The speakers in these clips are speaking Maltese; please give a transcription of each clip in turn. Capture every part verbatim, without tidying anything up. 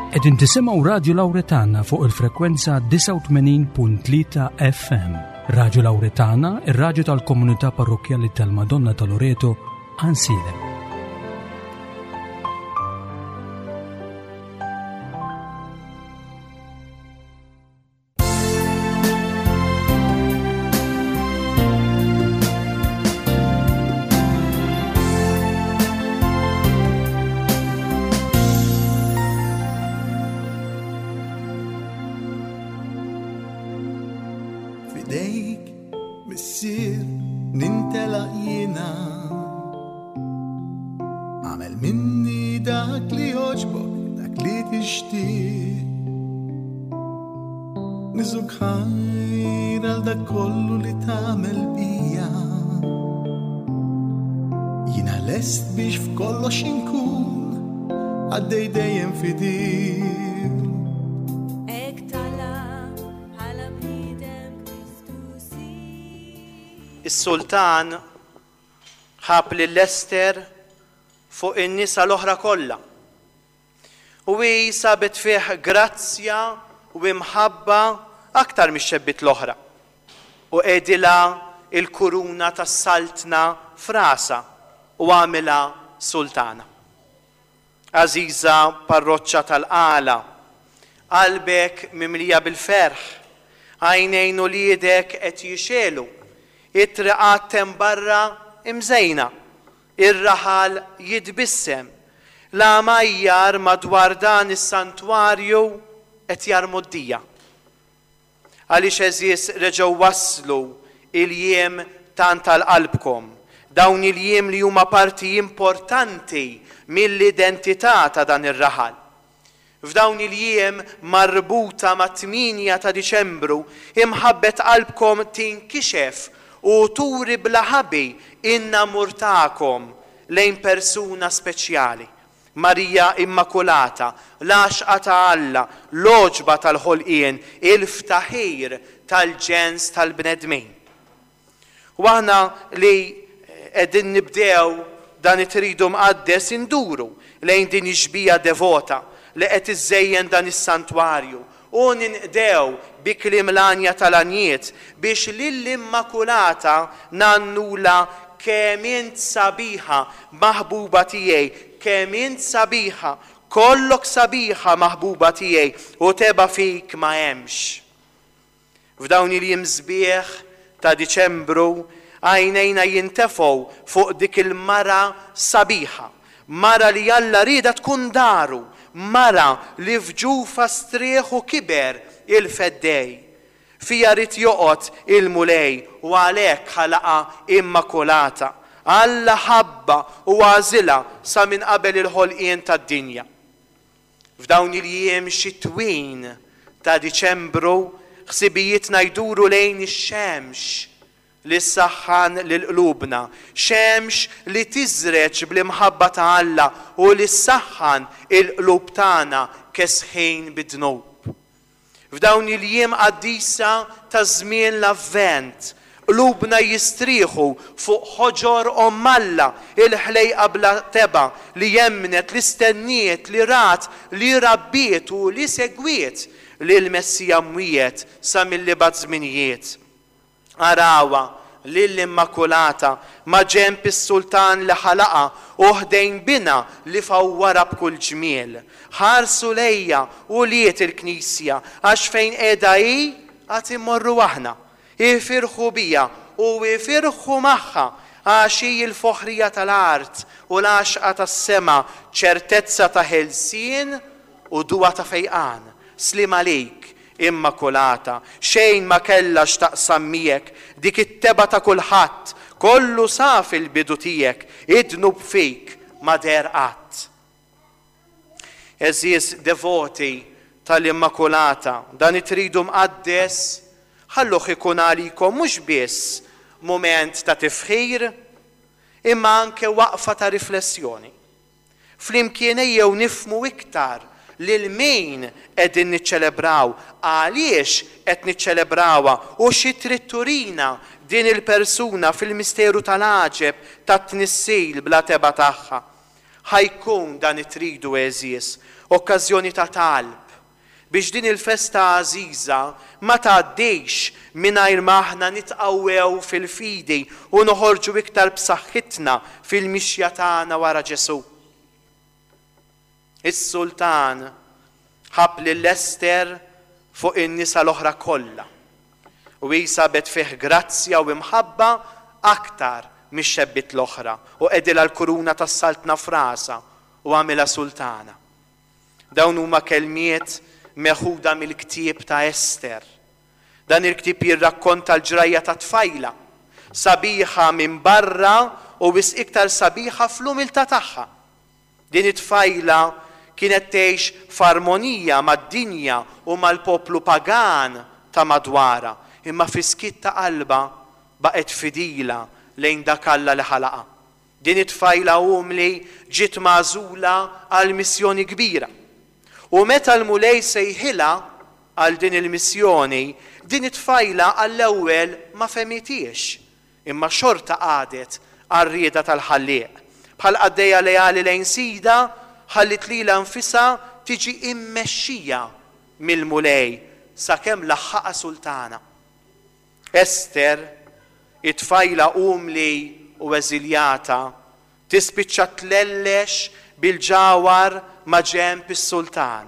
Qegħdin tisimgħu Radju Lawretana fuq il-frekwenza disgħa u tmenin punt tlieta F M. Radju Lawretana, ir-radju tal-komunità parrokkjali tal-Madonna ta' Loreto, Għajnsielem. Is-sultan ħab lil Ester fuq in-nisa l-oħra kollha. U hi sabet fih grazzja u imħabba aktar mix-xebbiet l-oħra. U qegħdilha il-kuruna tas-saltna frasa u għamilha sultana. Għażiża parroċċa tal-Qala, qalbek mimlija bil-ferħ, għajnejn uliedek qed jixelu, it-triqat hemm barra imżejna, ir-raħal jitbissem, l-għamajjar madwar dan is-santwarju qed jarmu d-dija. Għaliex għeżież reġgħu waslu il-jiem tant tal-qalbkom, dawn il-jiem li huma parti importanti mill-identità ta' dan ir-raħal. F'dawn il-jiem marbuta ma' tmienja ta' Diċembru, imħabbet qalbkom tinkixef u turi bla ħabi in-namur tagħkom lejn persuna speċjali, Marija Immakulata, l-għaxqa ta' Alla, l-għoġba tal-ħolqien, il-ftaħir tal-ġens tal-bnedmin. U aħna li qegħdin nibdew dan it-tridu mqaddes induru lejn din ix-xbieha devota li qed iżejjen dan is-santwarju u ninqdew bi kliem l-għanja tal-għanjiet biex lill-Immakulata nannula kemm int sabiħa maħbuba tiegħi, kemm int sabiħa, kollok sabiħa maħbuba tiegħi u teba fik ma hemmx. F'dawn il-jiem sbieħ ta' Diċembru għajnejna jintefgħu fuq dik il-mara sabiħa, mara li Alla rieda tkun daru, mara li f'ġufa strieħ u kiber il-feddej. Fija rid joqgħod il-Mulej u għalhekk ħalaqa Immakulata. Alla ħabba u għażilha sa minn qabel il-ħolqien tad-dinja. F'dawn il-jiem xitwin ta' Diċembru ħsibijietna jduru lejn ix-xemx li ssaħħan lil qlubna, xemx li tiżreġ bl-imħabba ta' Alla u li ssaħħan il-qlub tagħna kesħin bid-dnub. F'dawn il-jiem qaddisa ta' żmien l-Avvent, qlubna jistrieħu fuq ħoġor Omm Alla, il-ħlejqa bla teba li jemnet, li stenniet, li rat, li rabbiet u li segwiet lil Messija mwiet sa mill-ibgħat żminijiet. Arawa lill-Immakulata ma' ġenb is-sultan li ħalaqa u ħdejn bina li fawwara b'kull ġmiel. Ħarsu lejja u liet il-Knisja għax fejn qiegħda hi għad immorru aħna. Ifirħu bija u ifirħu magħha għax hi l-foħrija tal-art u l-għaxqa tas-sema, ċertezza ta' ħelsien u duwa ta' fejqan. Slim għalik, Immakulata, xejn ma kellha x'taqsam miegħek, dik it-teba ta' kulħadd, kollu saf il-bidu tiegħek, id-dnub fik ma deher qatt. Għeżież devoti tal-Immakulata, dan it-tridu mqaddes ħalluh ikun għalikom mhux biss mument ta' tifħir, imma anke waqfa ta' riflessjoni. Flimkien ejjew nifhmu iktar lil min qegħdin niċċelebraw, għaliex qed niċċelebrawha u xi trid turina din il-persuna fil-misteru tal-għaġeb tat-tnissil bla teba tagħha. Ħa jkun dan it-tridu, għeżież, okkażjoni ta' talb biex din il-festa għażiża ma tgħaddix mingħajr ma aħna nitqawwew fil-fidi u noħorġu iktar b'saħħitna fil-mixja tagħna wara Ġesù. Is-sultan ħabb lil Ester fuq in-nisa l-oħra kollha u hi sabet fih grazzja u imħabba aktar mix-xebbiet l-oħra u qegħdilha l-kuruna tas-saltna f'rasha u għamilha sultana. Dawn huma kelmiet meħuda mill-ktieb ta' Ester. Dan il-ktieb jirrakkonta l-ġrajja ta' tfajla, sabiħa minn barra u wisq iktar sabiħa fl-umiltà tagħha. Din it-tfajla kienet tgħix f'armonija mad-dinja u mal-poplu pagan ta' madwarha, imma fis-skiet ta' qalbha baqgħet fidila lejn dak Alla li ħalaqha. Din it-tfajla umli ġiet magħżula għal missjoni kbira. U meta l-Mulej sejħilha għal din il-missjoni, din it-tfajla għall-ewwel ma fehmitiex, imma xorta qagħdet għar-rieda tal-Ħallieq. Bħal qaddejja leali lejn sidha, ħalliet lilha nfisha tiġi immexxija mill-Mulej sakemm laħħaqha sultana. Ester, it-tfajla umli u eżiljata, tispiċċa tlellex bil-ġawhar ma' ġenb is-sultan.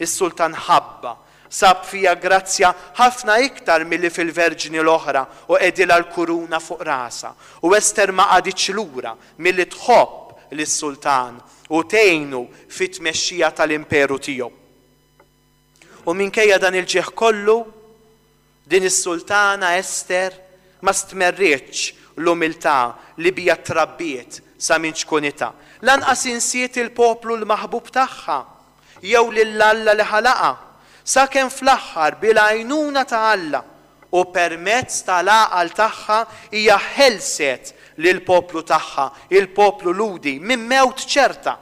Is-sultan ħabbha, sab fiha grazzja ħafna iktar milli fil-verġni l-oħra u qegħdilha l-kuruna fuq rasha. U Ester ma qagħditx lura milli tħobb lis-sultan u tgħinu fit-tmexxija tal-imperu tiegħu. U minkejja dan il-ġieħ kollu, din is-sultana Ester ma stmerritx l-umiltà li bija trabbiet sa minn ċkunitha. Lanqas insiet il-poplu l-maħbub tagħha jew lil Alla li ħalaqha, sakemm fl-aħħar bil-għajnuna ta' Alla u permezz tal-għaqal tagħha hija ħelset lill-poplu tagħha, il-poplu Lhudi, minn mewt ċerta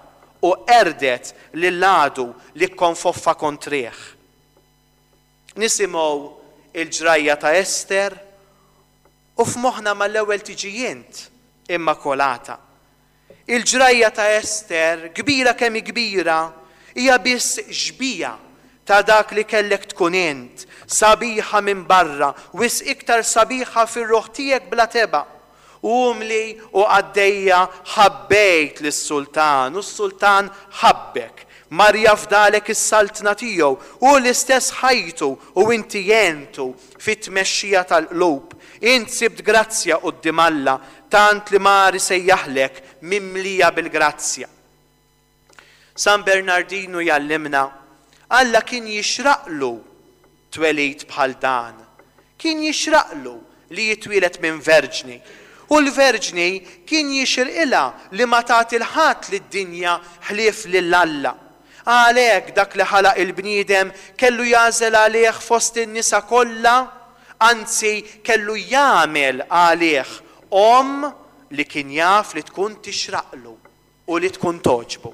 u qerdet lil għadu li kkonfoffa kontrih. Nisimgħu il-ġrajja ta' Ester u f'moħħna mal-ewwel tiġi int Immakolata. Il-ġrajja ta' Ester, kbira kemm hi kbira, hija biss xbieha ta' dak li kellek tkun int, sabiħa minn barra, wisq iktar sabiħa fir-ruħ tiegħek bla tebgħa. Umli u qaddejja ħabbejt lis-sultan u s-sultan ħabbek. Mar jafdalek is-saltna tiegħu u l-istess ħajtu u inti għentu fit-tmexxija tal-qlub. Int sibt grazzja quddiem Alla tant li mar isejjaħlek mimlija bil-grazzja. San Bernardinu jgħallimna, Alla kien jixraqlu twelid bħal dan. Kien jixraqlu li jitwieled minn verġni. U l-verġni kien jixirqilha li ma tagħti 'l ħadd lid-dinja ħlief lil Alla. Għalhekk dak li ħalaq il-bniedem kellu jagħżel għalih fost in-nisa kollha, anzi kellu jagħmel għalih omm li kien jaf li tkun tixraqlu u li tkun togħġbu.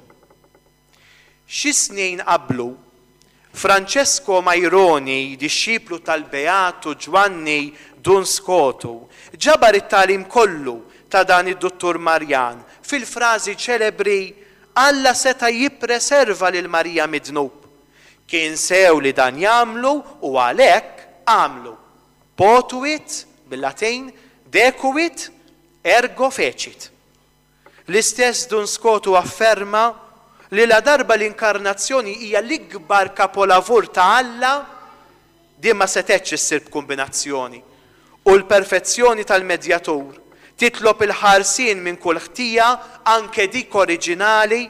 Xi snin qablu, Francesco Majroni, dixxiplu tal-Beatu Ġwanni Duns Skotu, ġabar it-tagħlim kollu ta' dan id-Duttur Marjan fil-frażi ċelebri Alla seta' jippreserva lil Marija mid-dnub. Kien sew li dan jagħmlu u għalhekk għamlu. Potuit, bil-Latin, decuit, ergo fecit. L-istess Duns Skotu afferma li la darba l-inkarnazzjoni hija l-ikbar kapolavur ta' Alla, din ma setgħetx issir b'kombinazzjoni. U l-perfezzjoni tal-medjatur titlob il-ħarsien minn kull ħtija, anke dik oriġinali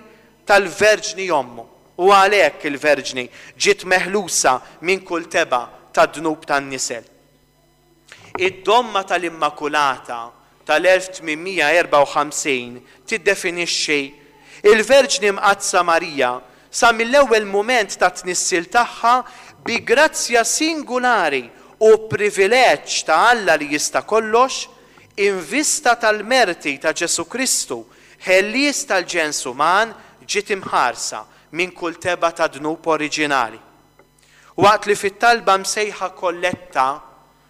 tal-Verġni ommu. U għalhekk il-Verġni ġiet meħlusa minn kull tebgħa tad-dnub tan-nisel. Id-domma tal-Immakulata tal-elf tmien mija erbgħa u ħamsin tiddefinixxi il-Verġni Mqaddsa Marija sa mill-ewwel mument ta' tnissil tagħha bi grazzja singulari u privileġġ ta' Alla li jista' kollox, in vista tal-merti ta' Ġesù Kristu, ħellies tal-ġens uman, ġiet imħarsa minn kull tebgħa ta' dnub oriġinali. Waqt li fit-talba msejħa kolletta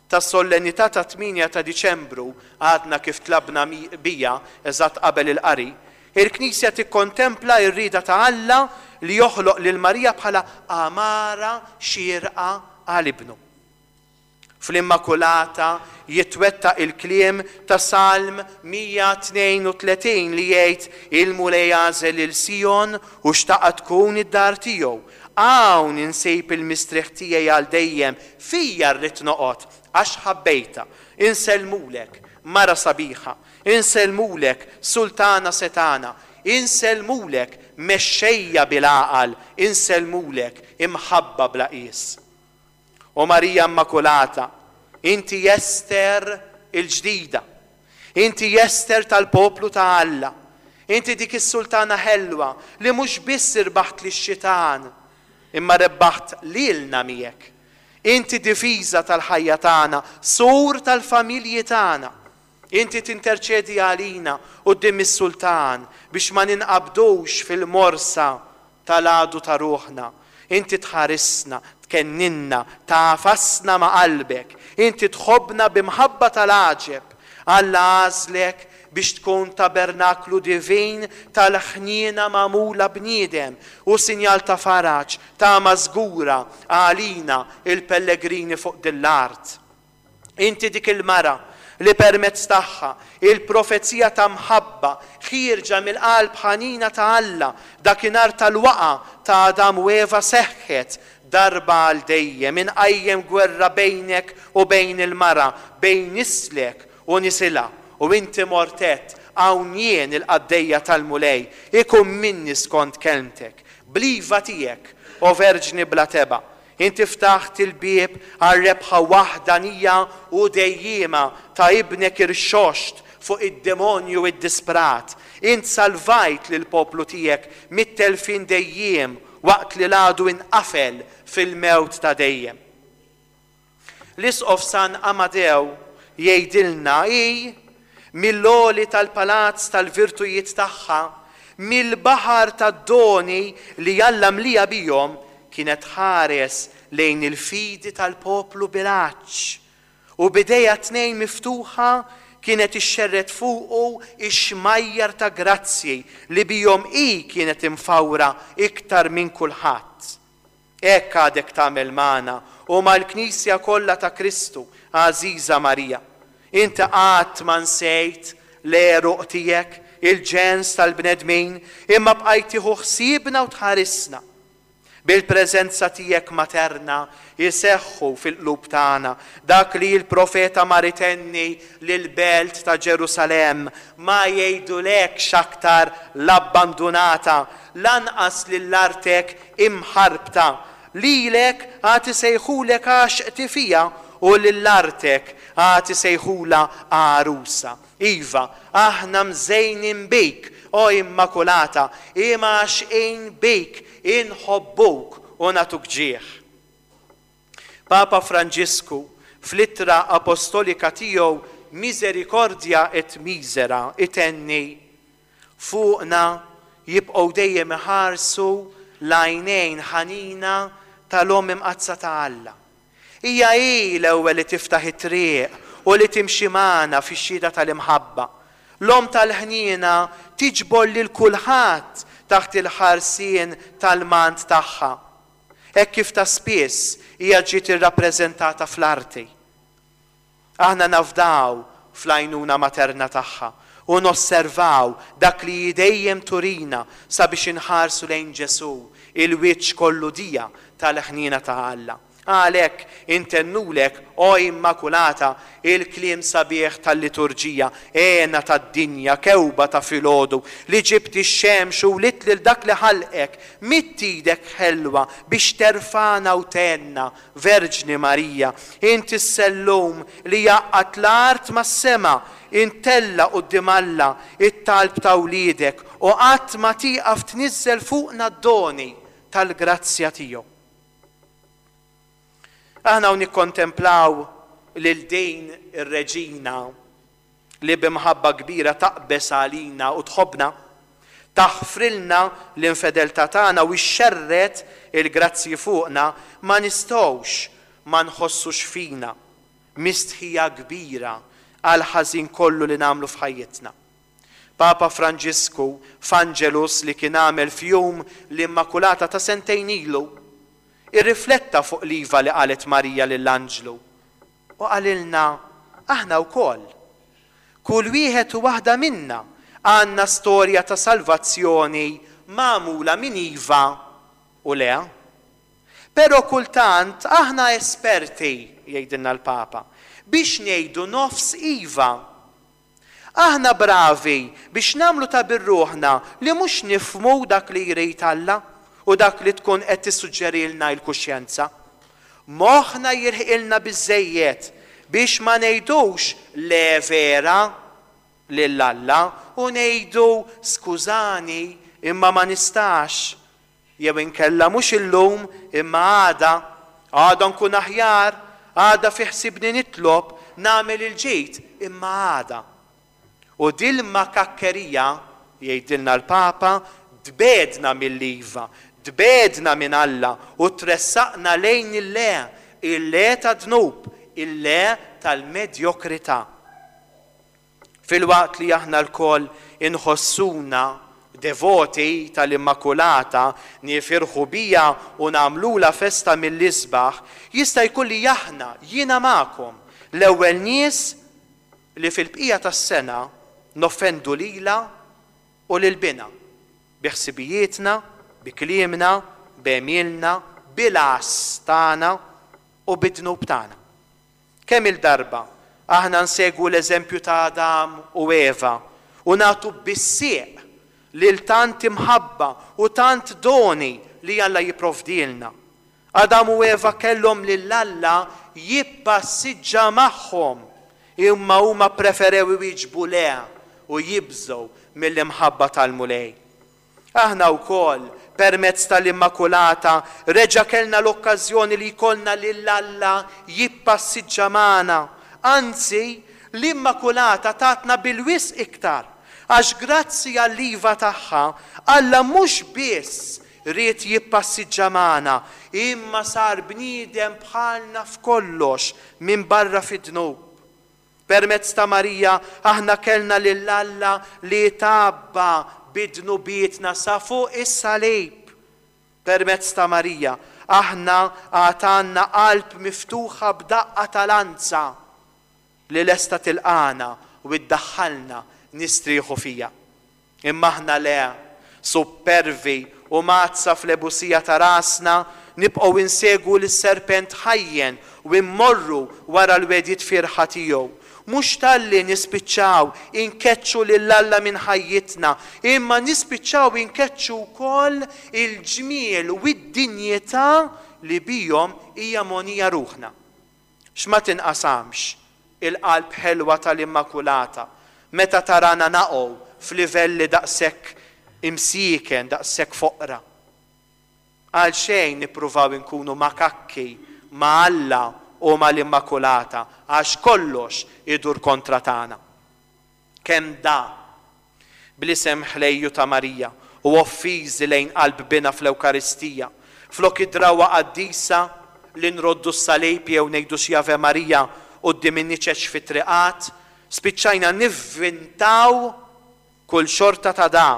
ta' solennità ta' tmienja ta' Diċembru għadna kif tlabna bija eżatt qabel il-qari, Il-Knisja tikkontempla r-rieda ta' Alla li joħloq lil Marija bħala għamara xierqa għal ibnu. Fl-Immakulata jitwettaq il-kliem ta' Salm mija tnejn u tletin li jgħid: il-Mulej għażel lil Sijon u xtaqa tkun id-dar tiegħu. Hawn insib il-mistrieħ tiegħi għal dejjem, fija rrid noqgħod għax ħabbejta. Insellmulek, mara sabiħa, insellmulek, sultana setana, insellmulek, mexxejja bil-għaqal, insellmulek, imħabba bla qies. O Marija Immakulata, inti Ester il-ġdida, inti Ester tal-poplu ta' Alla, inti dik is-sultana ħelwa li mhux biss irbaħt lix-xitan, imma rebbaħt lilna miegħek. Inti difiża tal-ħajja tagħna, sur tal-familji tagħna. Inti tinterċedi għalina quddiem is-sultan biex ma ninqabdux fil-morsa tal-għadu ta' ruħna. Inti tħarisna, tkenninna, tafasna ma' qalbek. Inti tħobbna b'imħabba tal-għaġeb. Alla għażlek biex tkun tabernaklu divin tal-ħniena magħmula bniedem u sinjal ta' faraġ, ta' mażgura għalina il-pellegrini fuq din l-art. Inti dik il-mara li permezz tagħha il-profezija ta' mħabba ħierġa mill-qalb ħanina ta' Alla dakinhar tal-waqa ta' Adam u Eva seħħet darba għal dejjem, inqajjem gwerra bejnek u bejn il-mara, bejn nislek u nisilha. U inti mortet, hawn jien il-qaddejja tal-Mulej, ikun minni skont kelmtek. Bliva tiegħek, o Verġni bla teba, inti ftaħt il-bieb għal rebħa waħdanija u dejjima ta' ibnek irxoxt fuq id-demonju id-disprat. Int salvajt lil poplu tiegħek mit-telfin dejjem waqt li l-għadu inqafel fil-mewt ta' dejjem. L-Isqof San Amadew jgħidilna hi mill-għoli tal-palazz tal-virtujiet tagħha, mill-baħar tad-doni li Alla mlija bihom, kienet ħares lejn il-fidi tal-poplu bil-għatx u bidejha tnejn miftuħa kienet ixxerret fuqu ix-xmajjar ta' grazzji li bihom hi kienet imfawra iktar minn kulħadd. Hekk għadek tagħmel magħna u mal-Knisja kollha ta' Kristu, għażiża Marija. Inti qatt ma nsejt l-għeruq tiegħek, il-ġens tal-bnedmin, imma bqajt tieħu ħsiebna u tħarisna. Bil-preżenza tiegħek materna jseħħu fil-qlub tagħna dak li l-profeta mar itenni lill-belt ta' Ġerusalemm, ma jgħidulekx aktar l-abbandunata, lanqas lill-artek imħarbta. Lilek għad isejħulek għaxqti fija u lill-artek għad isejħula għarusa. Iva, aħna mżejnin bik, o Immakulata, imma għaxqin bik, inħobbuk u nagħtuk ġieħ. Papa Franġisku fl-ittra apostolika tiegħu Misericordia et Misera itenni fuqna jibqgħu dejjem iħarsu l-għajnejn ħanina tal-Omm Imqaddsa ta' Alla. Hija hi l-ewwel li tiftaħ it-triq u li timxi magħna fix-xhieda tal-imħabba. L-Omm tal-ħniena tiġbor lil kulħadd taħt il-ħarsien tal-mant tagħha. Hekk kif ta' spiss hija ġiet irrappreżentata fl-arti. Aħna nafdaw fl-għajnuna materna tagħha u nosservaw dak li dejjem turina sabiex inħarsu lejn Ġesù, il-wiċċ kollu dija tal-ħniena ta' Alla. Għalhekk intennulek, o Immakulata, il-kliem sabiħ tal-liturġija, għena tad-dinja, kewba ta' filgħodu, li ġibt ix-xemx u wlidt lil dak li ħalqek, mitt idek ħelwa biex terfana u tenna, Verġni Marija, inti s-sellum li jaqgħad l-art mas-sema, intella quddiem Alla it-talb ta' wliedek u qatt ma tieqaf tniżżel fuqna d-doni tal-grazzja tiegħu. Aħna nikkontemplaw lil din ir-reġina li b'imħabba kbira taqbes għalina u tħobbna, taħfrilna l-infedeltà tagħna u xxerret il-grazzji fuqna, ma nistgħux ma nħossux fina mistħija kbira għal ħażin kollu li nagħmlu f'ħajjitna. Papa Franġisku f'Angelus li kien għamel f'jum l-Immakulata ta' sentejn ilu, irrifletta fuq l-iva li qalet Marija lill-anġlu u qalilna aħna wkoll. Kull wieħed u waħda minna għandna storja ta' salvazzjoni magħmula minn iva u le. Però kultant aħna esperti, jgħidilna l-Papa, biex ngħidu nofs iva. Aħna bravi biex nagħmlu ta' birruħna li mhux nifhmu dak li jrid Alla u dak li tkun qed tissuġġerilna l-kuxjenza. Moħħna jirħilna biżżejjed biex ma ngħidux le vera lil Alla u ngħidu skużani imma ma nistax, jew inkella mhux illum imma għada, għada nkun aħjar, għada fi ħsibni nitlob nagħmel il-ġid imma għada. U dil-makakkerija, jgħidilna l-Papa, tbegħedna mill-iva, tbegħedna minn Alla u tressaqna lejn il-le, il-le tad-dnub, il-le tal-medjokrità. Filwaqt li aħna lkoll inħossuna devoti tal-Immakulata, nifirħu bija u nagħmlula festa mill-isbaħ, jista' jkun li aħna, jiena magħkom, l-ewwel nies li fil-bqija tas-sena noffendu lilha u lil binha, bi ħsibijietna, bi kliemna, b'għemilna, bil-għażż tagħna u bid-dnub tagħna. Kemm il-darba aħna nsegwu l-eżempju ta' Adam u Eva u nagħtu bis-sieq lil tant imħabba u tant doni li Alla jipprovdilna. Adam u Eva kellhom lil Alla jippassiġġa magħhom, imma huma preferew iwieġbu le u jibżgħu mill-imħabba tal-Mulej. Aħna wkoll permezz tal-Immakulata reġa' kellna l-okkażjoni li jkollna lil Alla jippassiġġa magħna. Anzi, l-Immakulata tatna bil-wisq iktar, għax grazzi għall-iva tagħha Alla mhux biss ried jippassiġġa magħna, imma sar bniedem bħalna f'kollox minn barra fid-dnub. Permezz ta' Marija aħna kellna lil Alla li tabba bid-dnubietna sa fuq is-salib. Permezz ta' Marija aħna għatanna qalb miftuħa b'daqqa tal-anza li lesta tilqana u iddaħħalna nistrieħu fija. Imma aħna le, supervi u mazza fl-ebusija ta' rasna, nibqgħu insegwu lis-serpent ħajjen u immorru wara l-wedjiet firħa tiegħu. Mhux talli nispiċċaw inkeċċu lil Alla minn ħajjitna, imma nispiċċaw inkeċċu wkoll il-ġmiel u d-dinjità li bihom hija mogħnija ruħna. X'ma tinqasamx il-qalb ħelwa tal-Immakulata meta tarana naqgħu f'livelli daqshekk imsieken, daqshekk foqra. Għal xejn nippruvaw inkunu makakki ma' Alla u mal-Immakulata, għax kollox idur kontra tagħna. Kemm da bl-isem ħlejju ta' Marija u offiżi lejn qalb bina fl-Ewkaristija, flok id-drawa qaddisa li nroddu s-salib jew ngħidu xi Ave Maria quddiem in-niċeċ fit-triqat, spiċċajna nivvintaw kull xorta ta' da,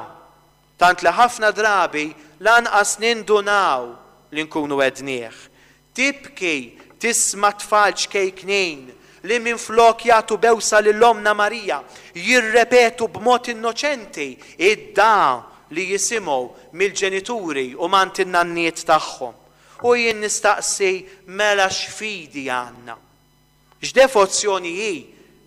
tant li ħafna drabi lanqas nindunaw li nkunu għednieh. Tibki tisma' tfal ċkejknin li minflok jagħtu bewsa lil Omna Marija jirrepetu b'mod innoċenti id-da li jisimgħu mill-ġenituri u mant in-nanniet tagħhom. U jien nistaqsi mela x'fidi għandna. X'devozzjoni hi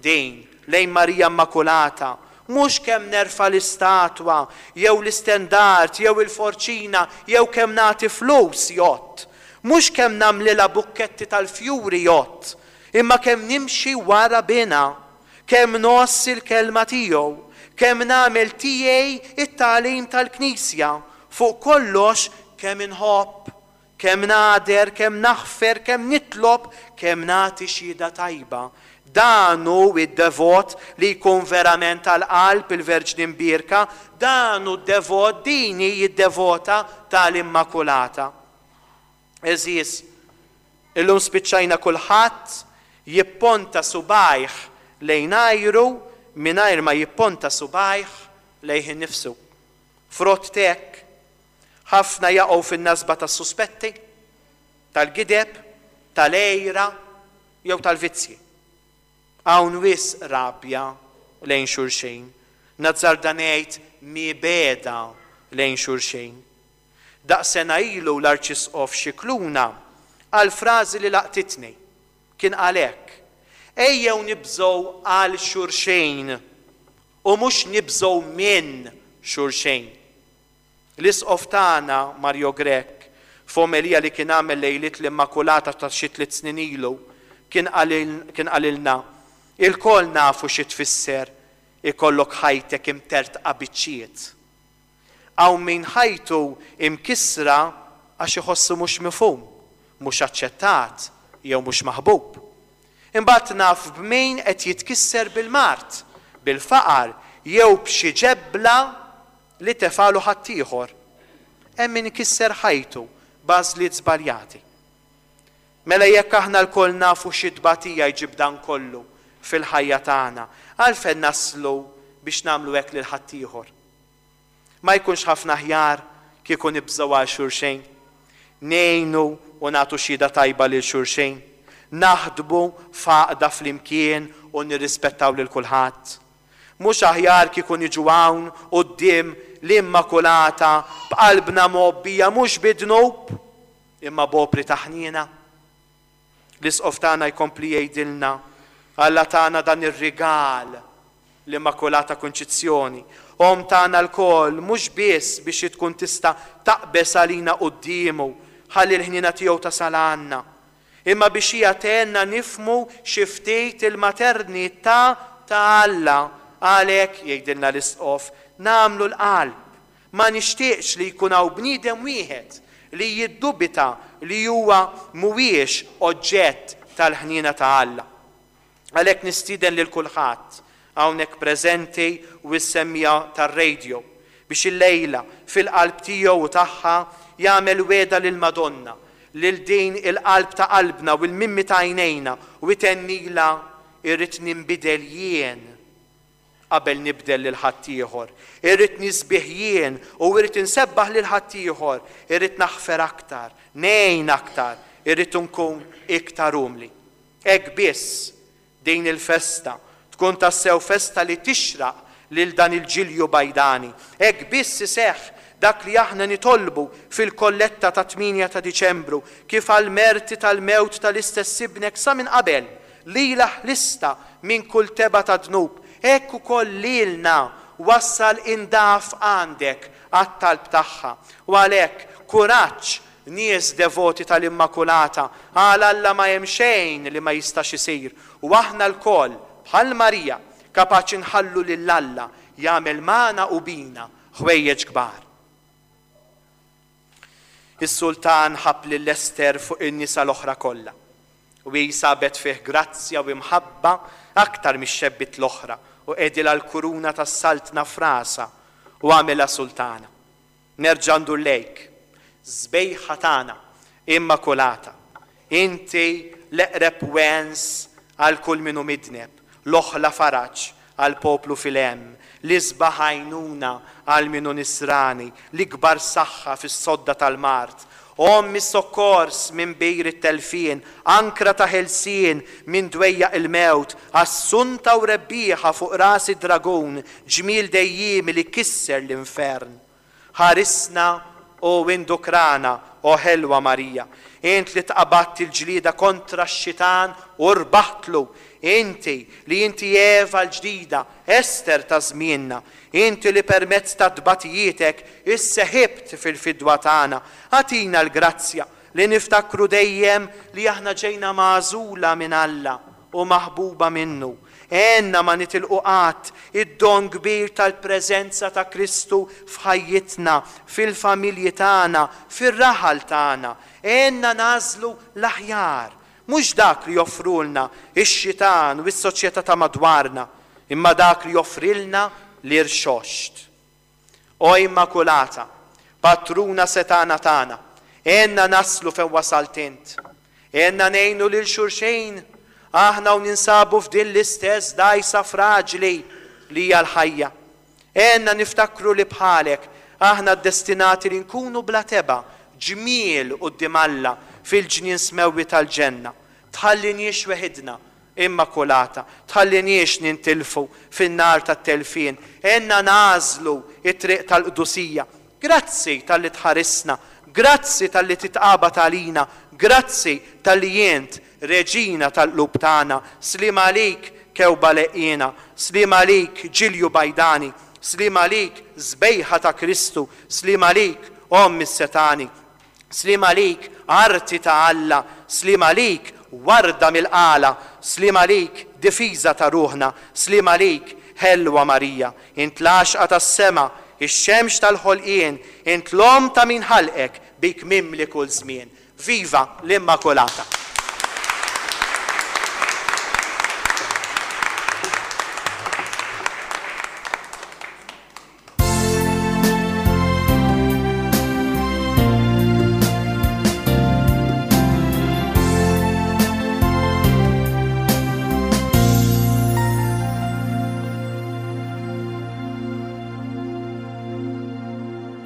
din lejn Marija Immakulata? Mhux kemm nerfa' l-istatwa jew l-istendart jew il-forċina jew kemm nagħti flus jgħodd. Mhux kemm nagħmlilha bukketti tal-fjuri jgħodd, imma kemm nimxi wara bina, kemm ngħożż il-kelma tiegħu, kemm nagħmel tiegħi it-tagħlim tal-Knisja, fuq kollox kemm inħobb, kemm nagħder, kemm naħfer, kemm nitlob, kemm nagħti xhieda tajba. Dan hu id-devot li jkun verament għall-qalb il-Verġni Mbierka, dan hu d-devot, din hi d-devota tal-Immakulata. Eżis, illum spiċċajna kulħadd jipponta subajh lejn ajru mingħajr ma jipponta subajh lejh innifsu. Frott t'hekk, ħafna jaqgħu fin-nasba tas-suspetti, tal-gideb, tal-għira jew tal-vizzji. Hawn wisq rabja lejn xulxin, nazzarda ngħid mibegħda lejn xulxin. Daqs sena ilu l-Arċisqof Scicluna qal frażi li laqtitni. Kien qal hekk: ejjew nibżgħu għal xulxin u mhux nibżgħu minn xulxin. L-Isqof tagħna Mario Grech, f'omelija li kien għamel lejliet l-Immakulata ta' xi tliet snin ilu, kien qalilna, ilkoll nafu xi tfisser ikollok ħajtek imtertqa biċċiet. Hawn min ħajtu imkissra għax iħossu mhux mifhum, mhux aċċettat jew mhux maħbub. Imbagħad naf b'min qed jitkisser bil-mard, bil-faqar jew b'xi ġebla li tefalu ħaddieħor. Hemm min ikisser ħajtu b'għażliet żbaljati. Mela jekk aħna lkoll nafu xi tbatija jġib dan kollu fil-ħajja tagħna, għalfejn naslu biex nagħmlu hekk lil ħaddieħor? Ma jkunx ħafna aħjar kieku nibżgħu għal xulxejn, ngħinu u nagħtu xhieda tajba lil xulxejn, naħdmu f'għaqda flimkien u nirrispettaw lil kulħadd. Mhux aħjar kieku niġu hawn quddiem l-Immakulata b'qalbna mgħobbija mhux bid-dnub imma b'opri ta' ħniena? L-Isqof tagħna jkompli jgħidilna, Alla tagħna dan ir-rigal, l-Immakulata Kunċizzjoni, Omm tagħna lkoll, mhux biss biex tkun tista' taqbeż għalina quddiemu ħalli l-ħniena tiegħu tasal għandna, imma biex hija tgħinna nifhmu xi ftit il-maternità ta' Alla. Għalhekk, jgħidilna l-Isqof, nagħmlu l-qalb. Ma nixtieqx li jkun hawn bniedem wieħed li jiddubita li huwa mhuwiex oġġett tal-ħniena ta' Alla. Għalhekk nistieden lil kulħadd hawnhekk preżenti u s-semmija tar-radio biex illejla fil-qalb tiegħu u tagħha jagħmel wegħda lil Madonna, lil din il-qalb ta' qalbna u l-mimmi ta' għajnejna, u jtennila irrid ninbidel jien qabel nibdel lil ħaddieħor, irrid nisbih jien u irrid insebbaħ lil ħaddieħor, irrid naħfer aktar, ngħin aktar, irrid nkun iktar umli. Hekk biss din il-festa tkun tassew festa li tixraq lil dan il-ġilju bajdani. Hekk biss iseħħ dak li aħna nitolbu fil-kolletta ta' tmienja ta' Diċembru, kif għal-merti tal-mewt tal-istess ibnek sa minn qabel, lila ħlista minn kull teba ta' dnub, hekk ukoll lilna wassal indaf għandek għat-talb tagħha. U għalhekk kuraġġ nies devoti tal-Immakulata, għal Alla ma hemm xejn li ma jistax isir, u aħna lkoll bħal Marija kapaċi nħallu lil Alla jagħmel magħna u bina ħwejjeġ kbar. Is-sultan ħabb lil Ester fuq in-nisa l-oħra kollha, u hi sabet fih grazzja u imħabba aktar mix-xebbiet l-oħra, u qegħdilha l-kuruna tas-saltna f'rasha u għamilha sultana. Nerġa' ndur lejk, sbejħa tagħna Immakulata, inti l-eqreb wens għal kull min hu midneb, l-oħla faraġ għal poplu fil-hemm, l-isbaħ għajnuna għal min hu nisrani, l-ikbar saħħa fis-sodda tal-mard, Omm is-sokkors minn bir it-telfien, ankra ta' ħelsien minn dwejjaq il-mewt, assunta u rebbieħa fuq ras id-dragun, ġmiel dejjiemi li kisser l-infern. Ħarisna u indukrana, o ħelwa Marija, int li tqabadt il-ġlieda kontra x-xitan u rbaħtlu, inti li inti Eva l-ġdida, Ester ta' żmienna, inti li permezz ta' tbatijietek isseħibt fil-fidwa tagħna, agħtina l-grazzja li niftakru dejjem li aħna ġejna magħżula minn Alla u maħbuba minnu. Għenna ma nitilqu qatt id-don kbir tal-preżenza ta' Kristu f'ħajjitna, fil-familji tagħna, fir-raħal tagħna. Għenna nagħżlu l-aħjar, mhux dak li joffrulna ix-xitan u s-soċjetà ta' madwarna, imma dak li joffrilna l-irxoxt. O Immakulata, patruna setana tagħna, għenna naslu fejn wasalt int. Għenna ngħinu lil xulxin, aħna u ninsabu f'din l-istess dgħajsa fraġli li hija l-ħajja. Għenna niftakru li bħalek aħna destinati li nkunu bla teba, ġmiel quddiem Alla fil-ġnien smewwi tal-ġenna. Tħalliniex weħidna Immakulata, tħalliniex nintilfu fin-nar tat-telfien, għenna nagħżlu it-triq tal-qdusija. Grazzi talli tħarisna, grazzi talli titqabad għalina, grazzi talli int reġina tal-qlub tagħna. Sliem għalik kewba leqqiena, sliem għalik ġilju bajdani, sliem għalik żbejħa ta' Kristu, sliem għalik omm is-setani, sliem għalik arti ta' Alla, sliem għalik warda mill-qala, sliem għalik difiża ta' ruħna, sliem għalik ħelwa Marija, int l-għaxqa tas-sema, ix-xemx tal-ħolqien, int l-omm ta' min ħalqek, bik mimli kull żmien. Viva l-Immakulata!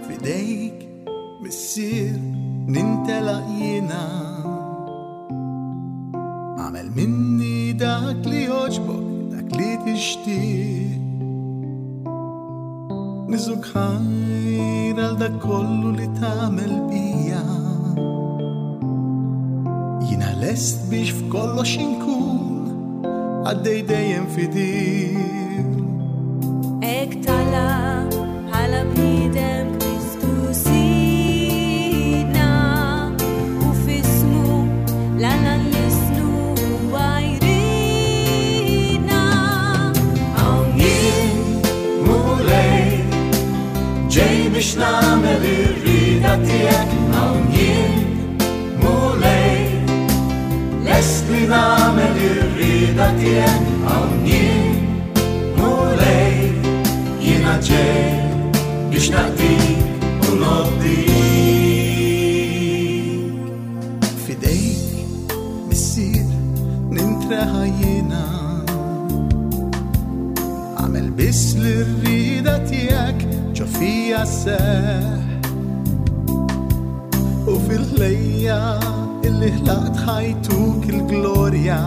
Fidejk, Missier, nintelaq jiena. Għamel minni dak li jogħġbok, dak li tixtieq. Niżuk ħajr għal dak kollu li tagħmel bija. Jiena lest biex f'kollox inkun għaddej dejjem fidil. Hekk talab bħala bniedem Kristu Sidna, u f'ismu l-Alla nlisnu huwa jridna. Hawn jien, Mulej, ġej biex nagħmel ir-rieda tiegħek. Hawn jien, Mulej, lest li nagħmel ir-rieda tiegħek. Hawn jien, Mulej, jiena ġej biex naqdik u nobdik. Fidejk, Missier, nintreħa jiena. Għamel biss l-rieda tiegħek ġo fija sseħħ. U fil-ħlejja illi ħlaqt ħajtuk il-glorja.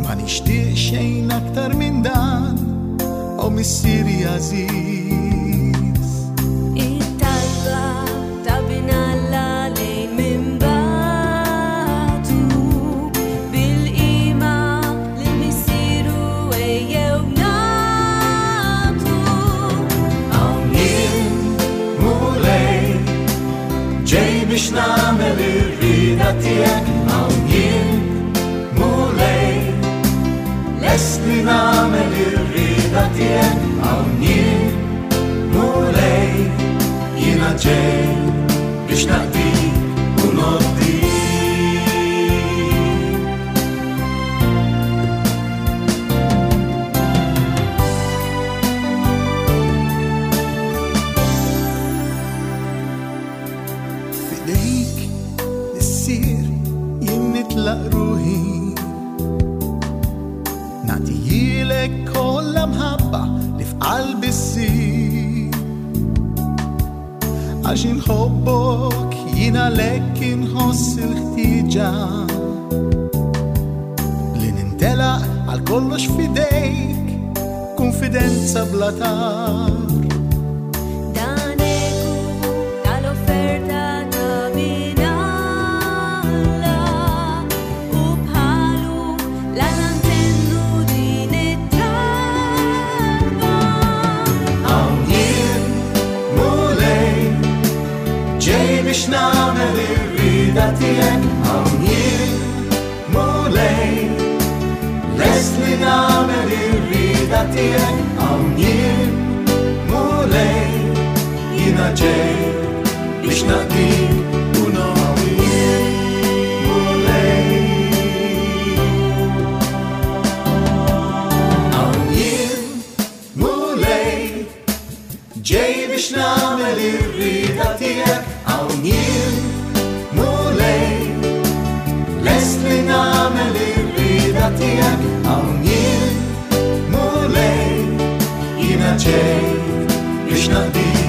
Ma nixtieq xejn aktar minn dan, o Missieri għażiż. It-talba ta' bin Alla lejn minn bagħtu, bil-qima lil Missieru ejjew nagħtu. Hawn jien, Mulej, ġej biex nagħmel ir-rieda tiegħek. Hawn jien, Mulej, lest li nagħmel ir-rieda tiegħek. Hawn jien, Mulej, jiena ġej biex naqdik u nobdik. Fidejk, Missier, jien nitlaq ruħi. Nagħtihilek kollha mħabba li f'qalbi ssir. Għax inħobbok jien għalhekk inħoss il-ħtieġa li nintelaq għal kollox f'idejk, konfidenza bla tar. Dan eku tal-offerta ta' bin Alla, u bħalu l-Alla ntennu din it-talba. Hawn jien, Mulej, ġej biex nagħmel ir-rieda tiegħek. Hawn jien, Mulej, lest li nagħmel ir-rieda tiegħek. Hawn jien, Mulej, jiena ġej biex naqdik u nobdik. Mulej. Hawn jien, Mulej, ġej biex nagħmel ir-rieda tiegħek. Hawn jien, Mulej, lest li nagħmel ir-rieda tiegħek. Hawn jien, Mulej, Jiena ġejt biex naqdik.